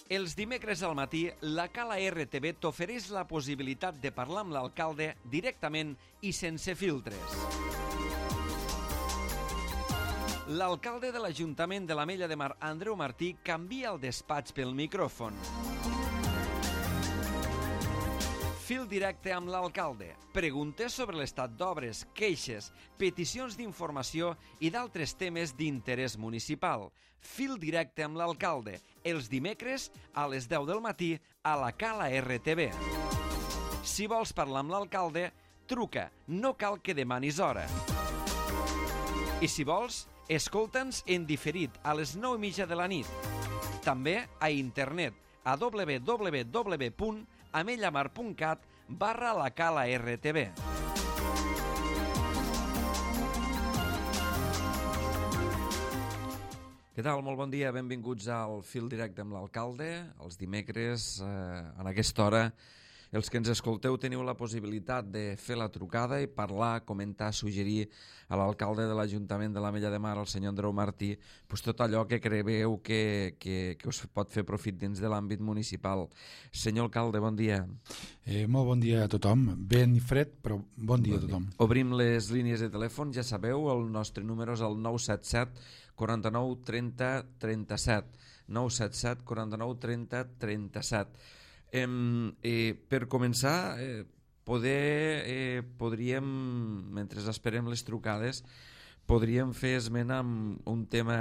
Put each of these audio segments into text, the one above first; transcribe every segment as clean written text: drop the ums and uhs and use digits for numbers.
Els dimecres al matí, la Cala RTV t'ofereix la possibilitat de parlar amb l'alcalde directament i sense filtres. L'alcalde de l'Ajuntament de l'Ametlla de Mar, Andreu Martí, canvia el despatx pel micròfon. Fil directe amb l'alcalde. Preguntes sobre l'estat d'obres, queixes, peticions d'informació i d'altres temes d'interès municipal. Fil directe amb l'alcalde. Els dimecres a les 10 del matí a la Cala RTV. Si vols parlar amb l'alcalde, truca. No cal que demanis hora. I si vols, escolta'ns en diferit a les 9:30 de la nit. També a internet a www.amellamar.cat/la Cala RTV. Què tal? Molt bon dia, benvinguts al Fil Directe amb l'alcalde. Els dimecres, en aquesta hora, els que ens escolteu teniu la possibilitat de fer la trucada i parlar, comentar, suggerir a l'alcalde de l'Ajuntament de l'Ametlla de Mar, el senyor Andreu Martí, tot allò que creieu que us pot fer profit dins de l'àmbit municipal. Senyor alcalde, bon dia. Molt bon dia a tothom. Ben fred, però bon dia a tothom. Obrim les línies de telèfon, ja sabeu, el nostre número és el 977 49 30 37. 977 49 30 37. Per començar, podríem, mentre esperem les trucades, podríem fer esment amb un tema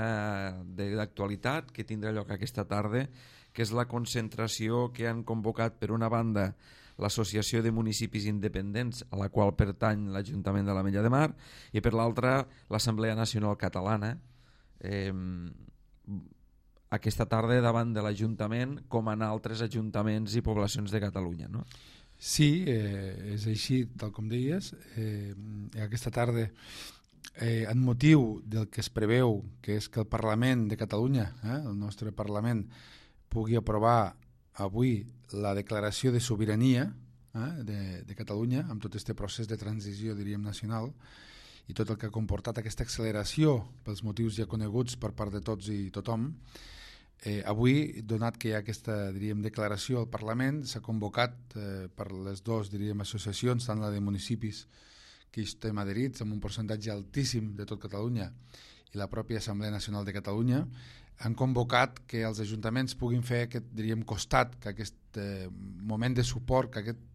d'actualitat que tindrà lloc aquesta tarda, que és la concentració que han convocat per una banda l'Associació de Municipis Independents, a la qual pertany l'Ajuntament de l'Ametlla de Mar, i per l'altra l'Assemblea Nacional Catalana, aquesta tarda davant de l'Ajuntament, com en altres ajuntaments i poblacions de Catalunya, no? Sí, és així, tal com deies. Aquesta tarda, en motiu del que es preveu, que és que el Parlament de Catalunya, el nostre Parlament, pugui aprovar avui la declaració de sobirania de Catalunya, amb tot aquest procés de transició, diríem, nacional, i tot el que ha comportat aquesta acceleració pels motius ja coneguts per part de tots i tothom. Avui, donat que hi ha aquesta, diríem, declaració al Parlament, s'ha convocat per les dues, diríem, associacions, tant la de municipis que hi estem adherits, amb un percentatge altíssim de tot Catalunya, i la pròpia Assemblea Nacional de Catalunya, han convocat que els ajuntaments puguin fer aquest, diríem, costat, que aquest moment de suport, que aquesta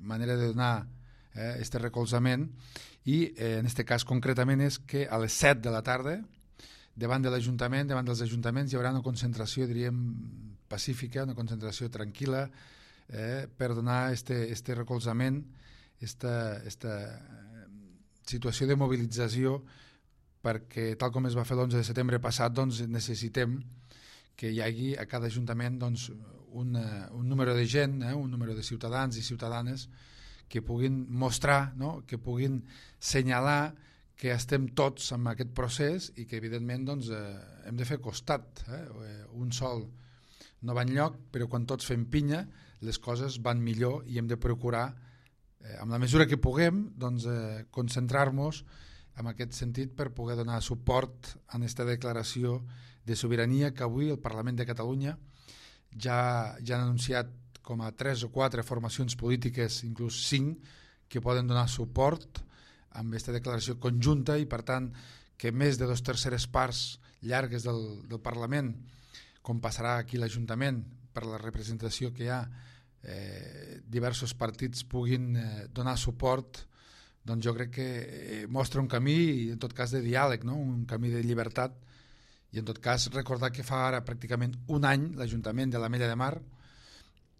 manera de donar aquest recolzament, i en aquest cas concretament és que a les 7 de la tarda, davant de l'Ajuntament, davant dels ajuntaments, hi haurà una concentració, diríem, pacífica, una concentració tranquil·la, per donar este recolzament, esta situació de mobilització, perquè tal com es va fer l'11 de setembre passat, doncs necessitem que hi hagi a cada ajuntament doncs, un número de gent, un número de ciutadans i ciutadanes que puguin mostrar, no? Que puguin senyalar que estem tots en aquest procés i que evidentment doncs, hem de fer costat. Un sol no va enlloc, però quan tots fem pinya les coses van millor i hem de procurar, amb la mesura que puguem, doncs, concentrar-nos en aquest sentit per poder donar suport a aquesta declaració de sobirania que avui el Parlament de Catalunya ja han anunciat com a 3 o 4 formacions polítiques, inclús 5, que poden donar suport amb aquesta declaració conjunta i, per tant, que més de 2/3 parts llargues del Parlament, com passarà aquí l'Ajuntament, per la representació que hi ha, diversos partits puguin donar suport, doncs jo crec que mostra un camí, en tot cas, de diàleg, no? Un camí de llibertat, i en tot cas recordar que fa ara pràcticament un any l'Ajuntament de l'Ametlla de Mar,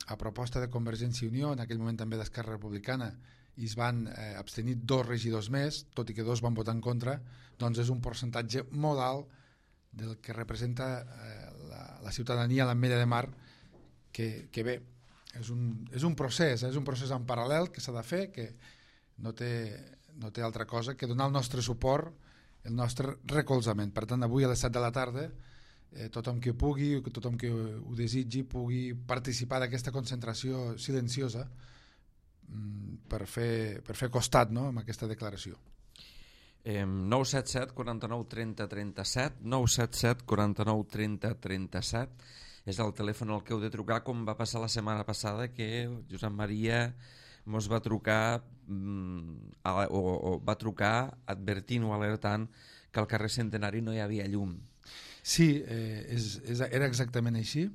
a proposta de Convergència i Unió, en aquell moment també d'Esquerra Republicana, i es van abstenir 2 regidors més, tot i que 2 van votar en contra, doncs és un percentatge molt alt del que representa la ciutadania a l'Ametlla de Mar, que bé, és un procés en paral·lel que s'ha de fer, que no té altra cosa que donar el nostre suport, el nostre recolzament. Per tant, avui a les 7 de la tarda, tothom que pugui, tothom que ho desitgi, pugui participar d'aquesta concentració silenciosa per fer costat, no?, amb aquesta declaració. 977 49 30 37, 977 49 30 37. és el telèfon al que heu de trucar, com va passar la setmana passada, que Josep Maria mos va trucar o va trucar advertint o alertant que al carrer Centenari no hi havia llum. Sí, era exactament així.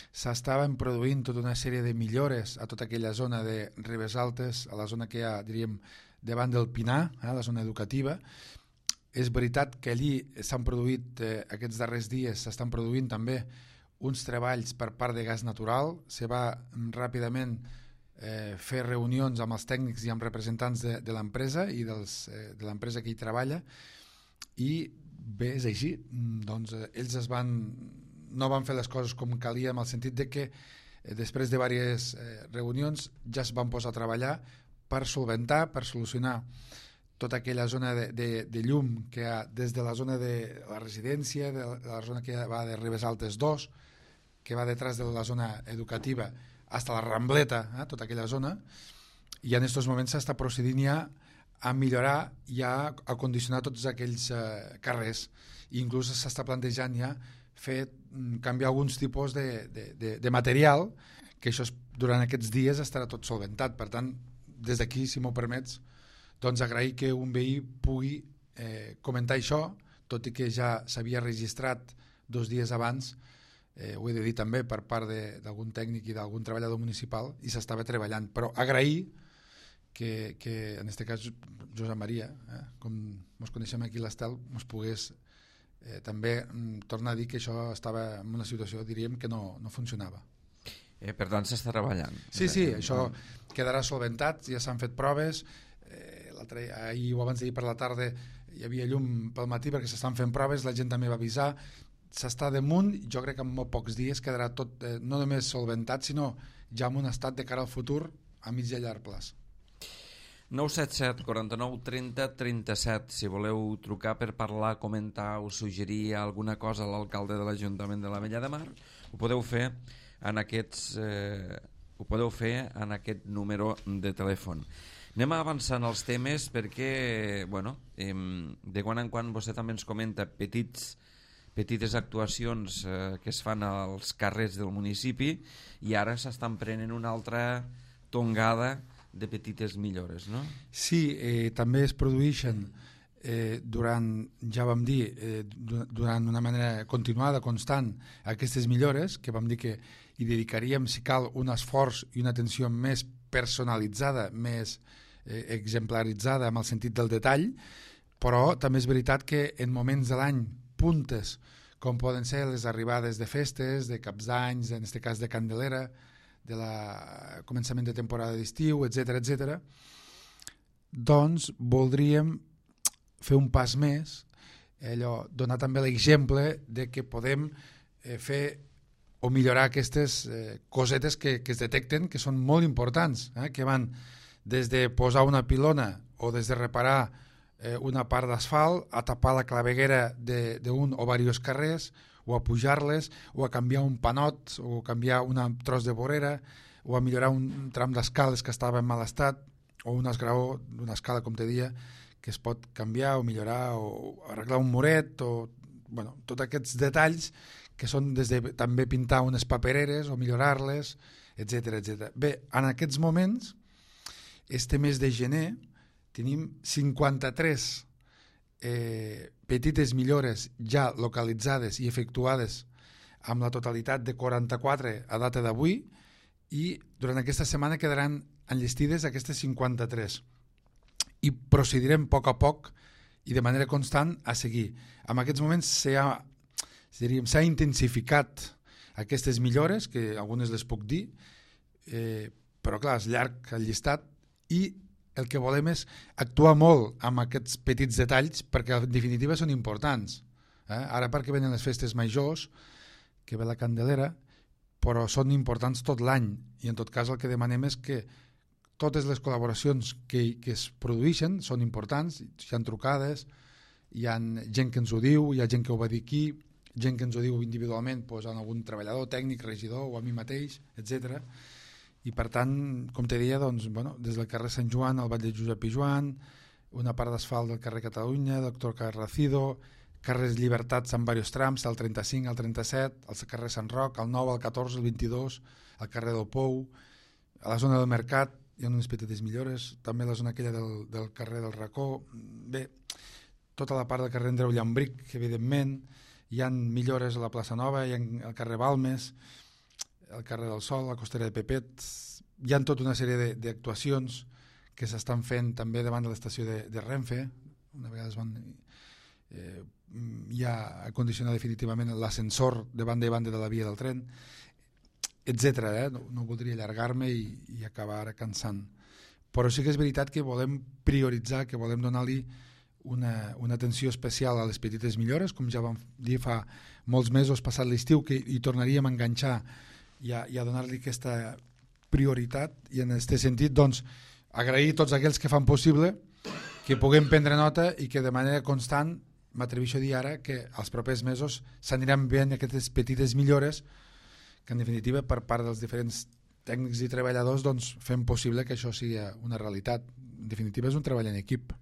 S'estaven produint tota una sèrie de millores a tota aquella zona de Ribes Altes, a la zona que hi ha, diríem, davant del Pinar, la zona educativa. És veritat que allí s'han produït, aquests darrers dies, s'estan produint també uns treballs per part de gas natural. Se va ràpidament fer reunions amb els tècnics i amb representants de l'empresa i de l'empresa que hi treballa, i bé, és així. Doncs ells no van fer les coses com calia, en el sentit de que després de diverses reunions ja es van posar a treballar per solventar, per solucionar tota aquella zona de llum que hi ha des de la zona de la residència, de la zona que va de Ribes Altes 2, que va detrás de la zona educativa fins a la Rambleta, tota aquella zona, i en aquests moments s'està procedint ja a millorar i a acondicionar tots aquells carrers, i inclús s'està plantejant ja canviar alguns tipus de material, que això durant aquests dies estarà tot solventat. Per tant, des d'aquí, si m'ho permets, doncs agrair que un veí pugui comentar això, tot i que ja s'havia registrat 2 dies abans, ho he de dir també per part d'algun tècnic i d'algun treballador municipal, i s'estava treballant. Però agrair que en aquest cas Josep Maria, com ens coneixem aquí a l'Estel, ens pogués també tornar a dir que això estava en una situació, diríem, que no funcionava. Per tant, s'està treballant. Sí, això quedarà solventat, ja s'han fet proves, ahir o abans d'ahir per la tarda hi havia llum pel matí perquè s'estan fent proves, la gent també va avisar, s'està damunt, jo crec que en molt pocs dies quedarà tot, no només solventat, sinó ja en un estat de cara al futur a mig i a llarg plaç. 977 49 30 37, si voleu trucar per parlar, comentar o suggerir alguna cosa a l'alcalde de l'Ajuntament de l'Ametlla de Mar, ho podeu fer en aquest número de telèfon. Anem avançant els temes perquè, de quan en quan vostè també ens comenta petites actuacions que es fan als carrers del municipi, i ara s'estan prenent una altra tongada de petites millores, no? Sí, també es produeixen durant una manera continuada, constant, aquestes millores, que vam dir que hi dedicaríem, si cal, un esforç i una atenció més personalitzada, més exemplaritzada en el sentit del detall, però també és veritat que en moments de l'any puntes, com poden ser les arribades de festes, de caps d'anys, en aquest cas de Candelera, de començament de temporada d'estiu, etc., doncs voldríem fer un pas més, donar també l'exemple de que podem fer o millorar aquestes cosetes que es detecten, que són molt importants, que van des de posar una pilona o des de reparar una part d'asfalt, a tapar la claveguera d'un o diversos carrers, o a pujar-les, o a canviar un panot, o a canviar un tros de vorera, o a millorar un tram d'escales que estava en mal estat, o un esgraó d'una escala, com te deia, que es pot canviar o millorar, o arreglar un muret, o tots aquests detalls que són des de també pintar unes papereres o millorar-les, etc. Bé, en aquests moments, este mes de gener, tenim 53 petites millores ja localitzades i efectuades amb la totalitat de 44 a data d'avui, i durant aquesta setmana quedaran enllestides aquestes 53 i procedirem a poc i de manera constant a seguir. En aquests moments s'ha intensificat aquestes millores, que algunes les puc dir, però clar, és llarg el llistat, i el que volem és actuar molt amb aquests petits detalls perquè en definitiva són importants. Ara perquè venen les festes majors, que ve la Candelera, però són importants tot l'any, i en tot cas el que demanem és que totes les col·laboracions que es produeixen són importants, hi ha trucades, hi ha gent que ens ho diu, hi ha gent que ho va dir aquí, gent que ens ho diu individualment, en algun treballador, tècnic, regidor o a mi mateix, etc. I per tant, com te deia, des del carrer Sant Joan al Vall de Josep i Joan, una part d'asfalt del carrer Catalunya, Doctor Carracido, carrers Llibertats en diversos trams, el 35, el 37, el carrer Sant Roc, el 9, el 14, el 22, el carrer del Pou, a la zona del Mercat hi ha unes petites millores, també la zona aquella del carrer del Racó, bé, tota la part del carrer Andreu Llambric, que evidentment hi ha millores a la plaça Nova, hi ha el carrer Balmes, el carrer del Sol, la costera de Pepet, hi ha tota una sèrie d'actuacions que s'estan fent també davant de l'estació de Renfe, una vegada es van ja acondicionar definitivament l'ascensor de banda i banda de la via del tren, etc. No voldria allargar-me i acabar ara cansant. Però sí que és veritat que volem prioritzar, que volem donar-li una atenció especial a les petites millores, com ja vam dir fa molts mesos passat l'estiu, que hi tornaríem a enganxar i a donar-li aquesta prioritat, i en aquest sentit doncs agrair a tots aquells que fan possible que puguem prendre nota i que de manera constant, m'atreveixo a dir ara, que els propers mesos s'aniran veient aquestes petites millores que en definitiva per part dels diferents tècnics i treballadors doncs fem possible que això sigui una realitat. En definitiva és un treball en equip.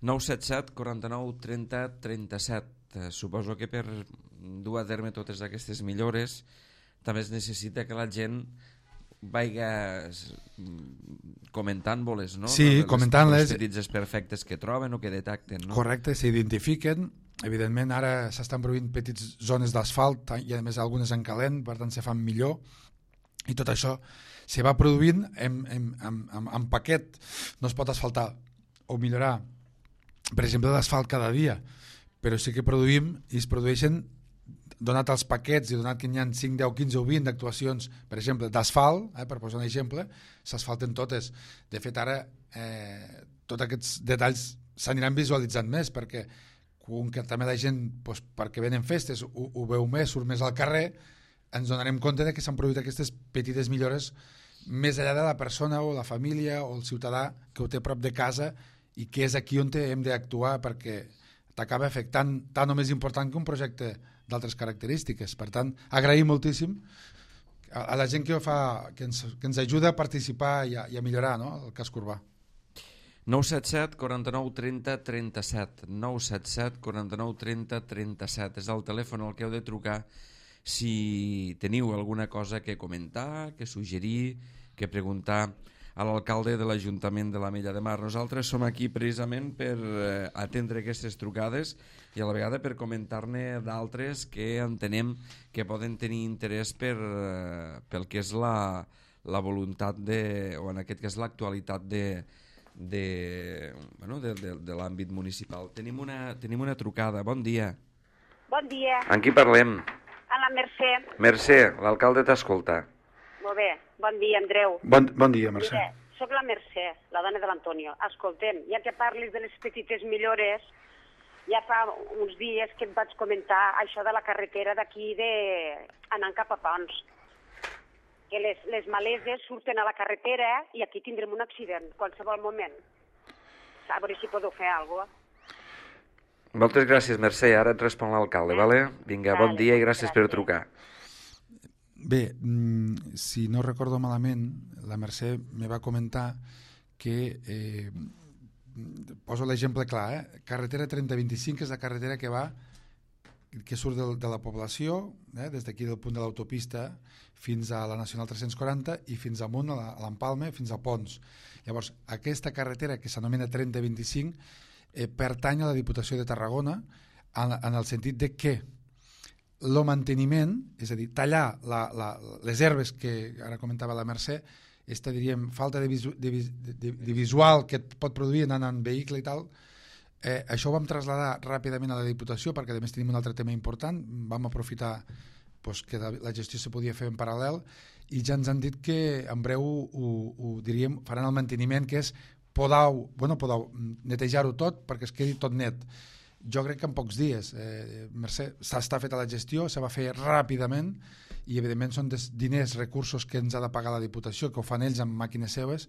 977 49 30 37. Suposo que per dur a terme totes aquestes millores també es necessita que la gent vaiga comentant-les, no? Sí, comentant-les. Els petits desperfectes que troben o que detecten, no? Correcte, s'identifiquen. Evidentment ara s'estan produint petites zones d'asfalt i a més algunes en calent, per tant se fan millor, i tot això se va produint en paquet. No es pot asfaltar o millorar, per exemple, l'asfalt cada dia, però sí que produïm i es produeixen, donat els paquets i donat que hi ha 5, 10, 15 o 20 d'actuacions, per exemple, d'asfalt, per posar un exemple, s'asfalten totes. De fet, ara tots aquests detalls s'aniran visualitzant més, perquè com que també la gent, doncs, perquè venen festes, ho veu més, surt més al carrer, ens donarem compte de que s'han produït aquestes petites millores més enllà de la persona o la família o el ciutadà que ho té a prop de casa i que és aquí on hem d'actuar, perquè t'acaba afectant tant o més important que un projecte d'altres característiques. Per tant, agraïm moltíssim a la gent que ho fa, que ens ajuda a participar i a millorar, no?, el casc urbà. 977 49 30 37 977 49 30 37 és el telèfon al que heu de trucar si teniu alguna cosa que comentar, que suggerir, que preguntar a l'alcalde de l'Ajuntament de l'Ametlla de Mar. Nosaltres som aquí precisament per atendre aquestes trucades i a la vegada per comentar-ne d'altres que entenem que poden tenir interès pel que és la voluntat o en aquest cas l'actualitat de l'àmbit municipal. Tenim una trucada. Bon dia. Bon dia. Amb qui parlem? A la Mercè. Mercè, l'alcalde t'escolta. Molt bé. Bon dia, Andreu. Bon dia, Mercè. Mira, soc la Mercè, la dona de l'Antonio. Escoltem, ja que parlis de les petites millores, ja fa uns dies que et vaig comentar això de la carretera d'aquí anant cap a Pons. Que les maleses surten a la carretera i aquí tindrem un accident qualsevol moment. A veure si podeu fer alguna cosa. Moltes gràcies, Mercè. Ara et respon l'alcalde, vale? Vinga, bon dia i gràcies per trucar. Bé, si no recordo malament, la Mercè me va comentar que, poso l'exemple clar, carretera 3025 és la carretera que surt de la població, des d'aquí del punt de l'autopista fins a la Nacional 340 i fins amunt a l'Empalme, fins a Pons. Llavors, aquesta carretera que s'anomena 3025 pertany a la Diputació de Tarragona en el sentit de que el manteniment, és a dir, tallar les herbes que ara comentava la Mercè, aquesta, diríem, falta de visual que et pot produir anant en vehicle i tal, això ho vam traslladar ràpidament a la Diputació perquè a més tenim un altre tema important, vam aprofitar que la gestió se podia fer en paral·lel i ja ens han dit que en breu diríem, faran el manteniment, que és netejar-ho tot perquè es quedi tot net. Jo crec que en pocs dies, Mercè, està feta la gestió, se va fer ràpidament i evidentment són diners, recursos que ens ha de pagar la Diputació, que ho fan ells amb màquines seves,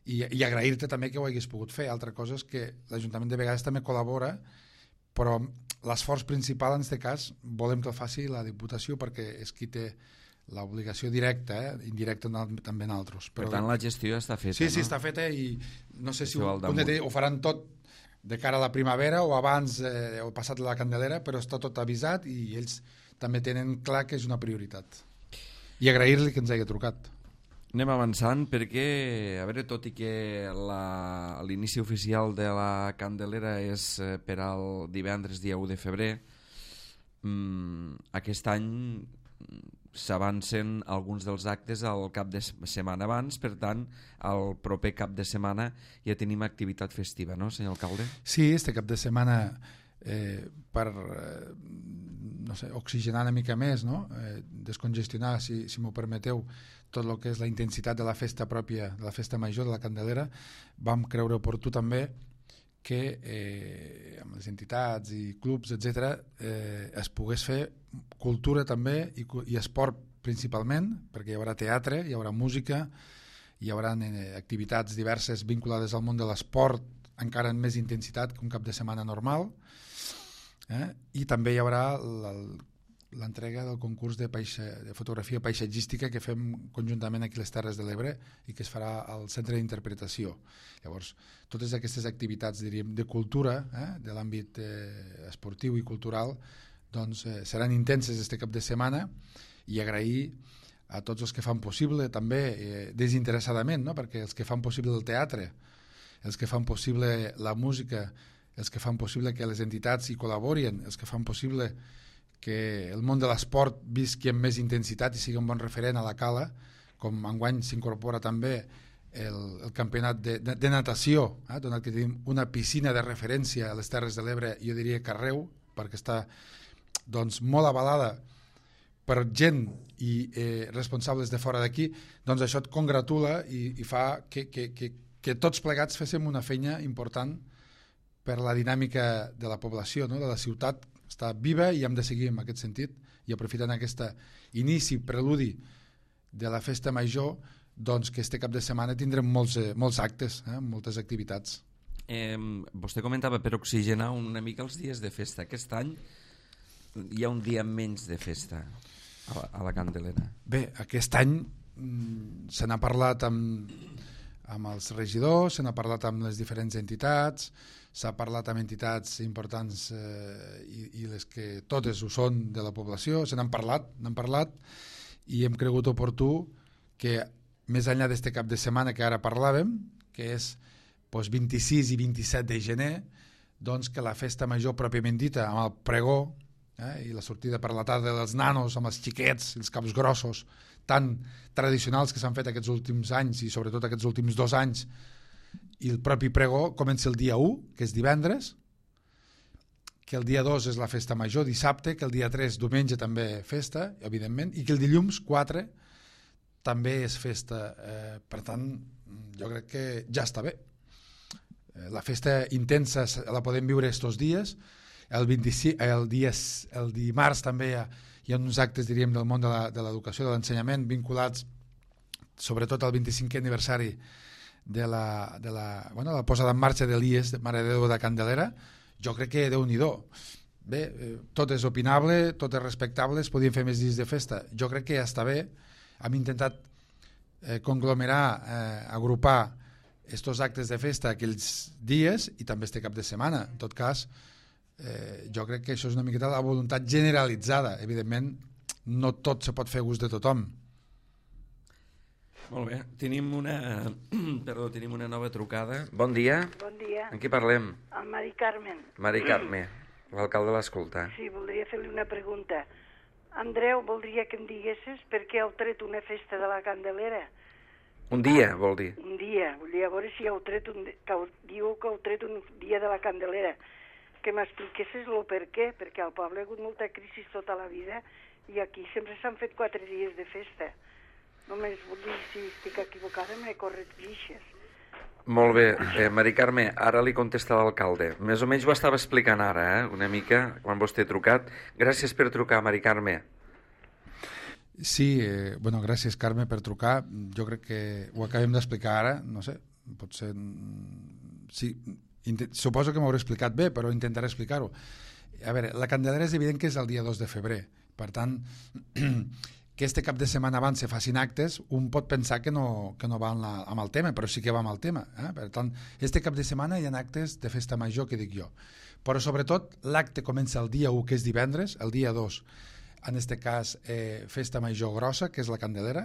i agrair-te també que ho hagués pogut fer. Altra cosa és que l'Ajuntament de vegades també col·labora, però l'esforç principal en aquest cas volem que el faci la Diputació perquè és qui té l'obligació directa, indirecta també en altres. Per tant, la gestió està feta, sí, no? Sí, està feta i no sé si ho faran tot de cara a la primavera o abans o passat la Candelera, però està tot avisat i ells també tenen clar que és una prioritat. I agrair-li que ens hagi trucat. Anem avançant perquè, a veure, tot i que l'inici oficial de la Candelera és per al divendres dia 1 de febrer, aquest any s'avancen alguns dels actes al cap de setmana abans, per tant, el proper cap de setmana ja tenim activitat festiva, no, senyor alcalde? Sí, este cap de setmana per no sé, oxigenar una mica més, no? Descongestionar, si m'ho permeteu, tot el que és la intensitat de la festa pròpia, de la festa major de la Candelera, vam creure oportú també que amb les entitats i clubs, etc., es pogués fer cultura també i esport principalment, perquè hi haurà teatre, hi haurà música, hi haurà activitats diverses vinculades al món de l'esport, encara amb més intensitat que un cap de setmana normal, i també hi haurà l'entrega del concurs de fotografia paisatgística que fem conjuntament aquí a les Terres de l'Ebre i que es farà al Centre d'Interpretació. Llavors, totes aquestes activitats, diríem, de cultura, de l'àmbit esportiu i cultural, doncs seran intenses este cap de setmana, i agrair a tots els que fan possible, també desinteressadament, no? Perquè els que fan possible el teatre, els que fan possible la música, els que fan possible que les entitats hi col·laborin, els que fan possible que el món de l'esport visqui amb més intensitat i sigui un bon referent a la Cala, com enguany s'incorpora també el campionat de natació, donat que tenim una piscina de referència a les Terres de l'Ebre, jo diria que arreu, perquè està doncs, molt avalada per gent i responsables de fora d'aquí, doncs això et congratula i fa que tots plegats féssim una feina important per la dinàmica de la població, no? De la ciutat, està viva i hem de seguir en aquest sentit, i aprofitant aquest inici, preludi de la festa major, doncs que este cap de setmana tindrem molts actes, moltes activitats. Vostè comentava per oxigenar una mica els dies de festa. Aquest any hi ha un dia menys de festa a la Candelera. Bé, aquest any se n'ha parlat amb els regidors, se n'ha parlat amb les diferents entitats, s'ha parlat amb entitats importants i les que totes ho són de la població, se n'han parlat i hem cregut oportú que més enllà d'este cap de setmana que ara parlàvem, que és 26 i 27 de gener, doncs que la festa major pròpiament dita, amb el pregó i la sortida per la tarda dels nanos amb els xiquets, els caps grossos, tan tradicionals que s'han fet aquests últims anys i sobretot aquests últims 2 anys, i el propi pregó comença el dia 1, que és divendres, que el dia 2 és la festa major, dissabte, que el dia 3, diumenge, també festa, evidentment, i que el dilluns 4 també és festa. Per tant, jo crec que ja està bé. La festa intensa la podem viure estos dies. El dimarts també hi ha uns actes, diríem, del món de l'educació, de l'ensenyament, vinculats sobretot al 25è aniversari de la posada en marxa de l'IES, de Mare de Déu de Candelera. Jo crec que Déu-n'hi-do. Bé, tot és opinable, tot és respectable, es podien fer més dies de festa. Jo crec que ja està bé. Hem intentat conglomerar, agrupar estos actes de festa aquells dies i també este cap de setmana. En tot cas, jo crec que això és una miqueta la voluntat generalitzada. Evidentment, no tot se pot fer a gust de tothom. Molt bé, tenim una nova trucada. Bon dia. Bon dia. En qui parlem? Amb Mari Carmen. Mari Carme, l'alcalde l'escolta. Sí, voldria fer-li una pregunta. Andreu, voldria que em diguessis per què heu tret una festa de la Candelera. Un dia, vol dir? Un dia. Volia veure si heu tret diu que heu tret un dia de la Candelera. Que m'expliquessis el per què, perquè al poble ha hagut molta crisi tota la vida i aquí sempre s'han fet 4 dies de festa. Només vull dir, si estic equivocada, me corregeixes. Molt bé, Mari Carme, ara li contesta l'alcalde. Més o menys ho estava explicant ara, una mica, quan vostè ha trucat. Gràcies per trucar, Mari Carme. Sí, gràcies, Carme, per trucar. Jo crec que ho acabem d'explicar ara, no sé, potser... Sí, suposo que m'hauré explicat bé, però intentaré explicar-ho. A veure, la Candelera és evident que és el dia 2 de febrer. Per tant, que este cap de setmana abans se facin actes, un pot pensar que no va amb el tema, però sí que va amb el tema. Per tant, este cap de setmana hi ha actes de festa major, que dic jo. Però sobretot l'acte comença el dia 1, que és divendres, el dia 2, en este cas, festa major grossa, que és la Candelera,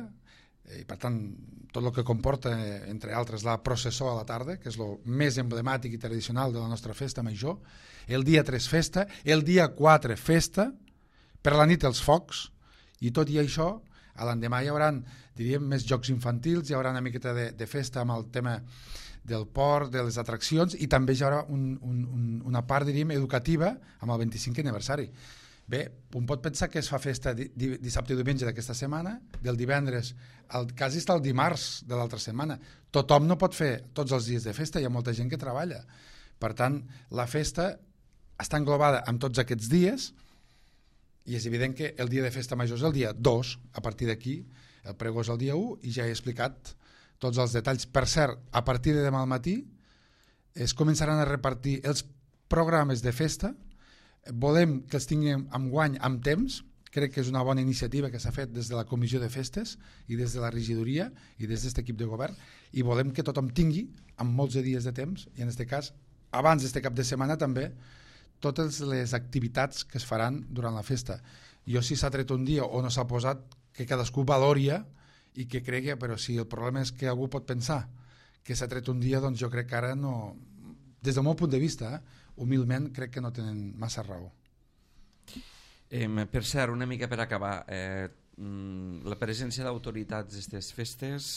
i per tant, tot el que comporta, entre altres, la processó a la tarda, que és el més emblemàtic i tradicional de la nostra festa major. El dia 3 festa, el dia 4 festa, per la nit els focs, i tot i això, a l'endemà hi haurà, diríem, més jocs infantils, hi haurà una miqueta de festa amb el tema del port, de les atraccions, i també hi haurà una part, diríem, educativa amb el 25è aniversari. Bé, un pot pensar que es fa festa dissabte i diumenge d'aquesta setmana, del divendres, quasi està el dimarts de l'altra setmana. Tothom no pot fer tots els dies de festa, hi ha molta gent que treballa. Per tant, la festa està englobada en tots aquests dies, i és evident que el dia de festa major és el dia 2, a partir d'aquí el pregó és el dia 1, i ja he explicat tots els detalls. Per cert, a partir de demà al matí es començaran a repartir els programes de festa. Volem que els tinguem amb guany, amb temps. Crec que és una bona iniciativa que s'ha fet des de la Comissió de Festes i des de la regidoria i des d'aquest equip de govern, i volem que tothom tingui amb molts de dies de temps, i en aquest cas, abans d'aquest cap de setmana també, totes les activitats que es faran durant la festa. Jo, si s'ha tret un dia o no s'ha posat, que cadascú valoria i que cregui, però si el problema és que algú pot pensar que s'ha tret un dia, doncs jo crec que ara no, des del meu punt de vista, humilment crec que no tenen massa raó. Per cert, una mica per acabar, la presència d'autoritats d'aquestes festes,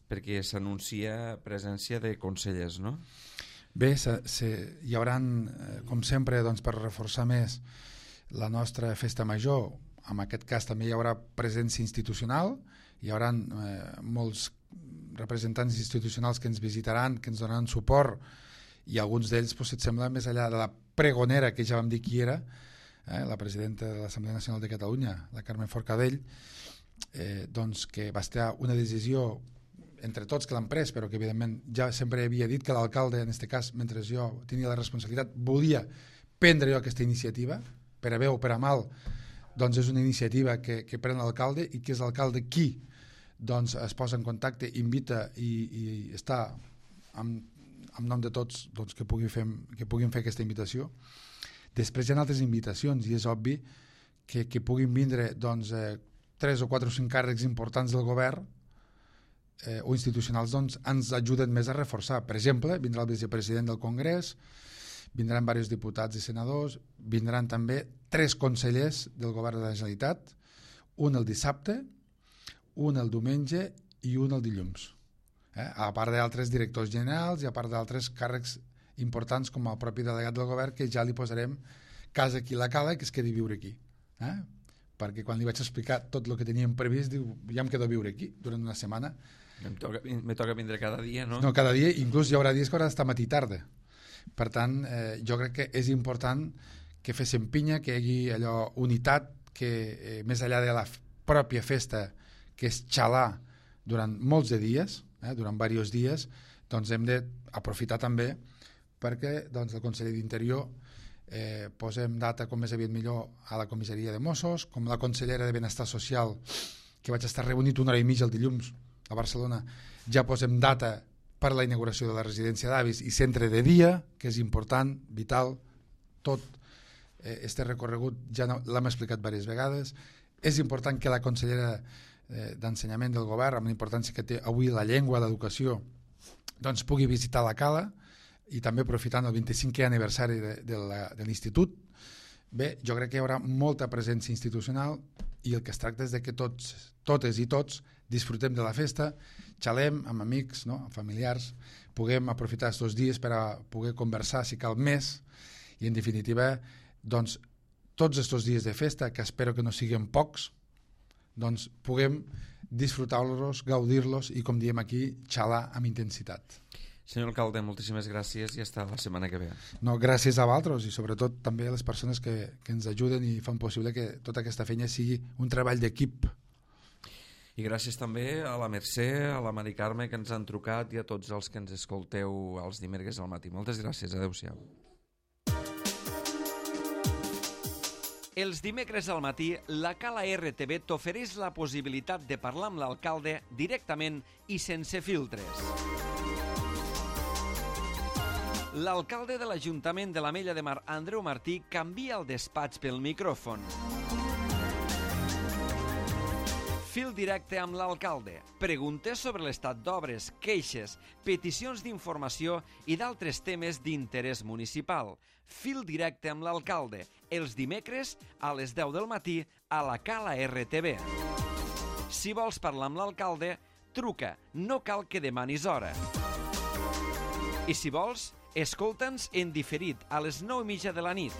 perquè s'anuncia presència de consellers, no? Bé, hi haurà, com sempre, doncs, per reforçar més la nostra festa major, en aquest cas també hi haurà presència institucional, hi haurà molts representants institucionals que ens visitaran, que ens donaran suport, i alguns d'ells, si et sembla, més enllà de la pregonera, que ja vam dir qui era, la presidenta de l'Assemblea Nacional de Catalunya, la Carmen Forcadell, doncs que va estar una decisió entre tots que l'han pres, però que evidentment ja sempre havia dit que l'alcalde, en aquest cas, mentre jo tenia la responsabilitat, volia prendre jo aquesta iniciativa, per a bé o per a mal, doncs és una iniciativa que pren l'alcalde, i que és l'alcalde qui doncs, es posa en contacte, invita i està en nom de tots, doncs, que puguin fer aquesta invitació. Després hi ha altres invitacions, i és obvi que puguin vindre doncs, 3 o 4 o 5 càrrecs importants del govern o institucionals, doncs, ens ajuden més a reforçar. Per exemple, vindrà el vicepresident del Congrés, vindran diversos diputats i senadors, vindran també 3 consellers del govern de la Generalitat, un el dissabte, un el diumenge i un el dilluns. A part d'altres directors generals i a part d'altres càrrecs importants com el propi delegat del govern, que ja li posarem casa aquí la cala, que es quedi viure aquí. Perquè quan li vaig explicar tot el que teníem previst, diu, ja em quedo a viure aquí durant una setmana. Me toca vindre cada dia, no? No, cada dia, inclús hi haurà dies que haurà d'estar matí i tarda. Per tant, jo crec que és important que féssim pinya, que hi hagi allò unitat, que més enllà de la pròpia festa, que és xalar durant molts de dies, durant diversos dies, doncs hem d'aprofitar també perquè doncs, el conseller d'Interior posem data com més aviat millor a la comissaria de Mossos, com la consellera de Benestar Social, que vaig estar reunit 1 hora i mitja el dilluns a Barcelona, ja posem data per la inauguració de la residència d'avis i centre de dia, que és important, vital, tot este recorregut ja l'hem explicat diverses vegades. És important que la consellera d'Ensenyament del govern, amb la importància que té avui la llengua, l'educació, doncs pugui visitar la cala, i també aprofitant el 25è aniversari de l'Institut. Bé, jo crec que hi haurà molta presència institucional, i el que es tracta és que totes i tots disfrutem de la festa, xalem amb amics, no? Amb familiars, puguem aprofitar aquests dies per a poder conversar, si cal més, i en definitiva, doncs, tots aquests dies de festa, que espero que no siguin pocs, doncs puguem disfrutar-los, gaudir-los i, com diem aquí, xalar amb intensitat. Senyor alcalde, moltíssimes gràcies i hasta la setmana que ve. No, gràcies a vosaltres i sobretot també a les persones que ens ajuden i fan possible que tota aquesta feina sigui un treball d'equip. I gràcies també a la Mercè, a la Mari Carme, que ens han trucat, i a tots els que ens escolteu els dimecres al matí. Moltes gràcies, adeu-siau. Els dimecres al matí, la Cala RTV t'ofereix la possibilitat de parlar amb l'alcalde directament i sense filtres. L'alcalde de l'Ajuntament de l'Ametlla de Mar, Andreu Martí, canvia el despatx pel micròfon. Fil directe amb l'alcalde. Preguntes sobre l'estat d'obres, queixes, peticions d'informació i d'altres temes d'interès municipal. Fil directe amb l'alcalde. Els dimecres a les 10 del matí a la Cala RTV. Si vols parlar amb l'alcalde, truca. No cal que demanis hora. I si vols, escolta'ns en diferit a les 9:30 de la nit.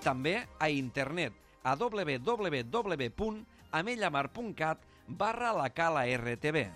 També a internet a www.amellamar.cat/la Cala RTV.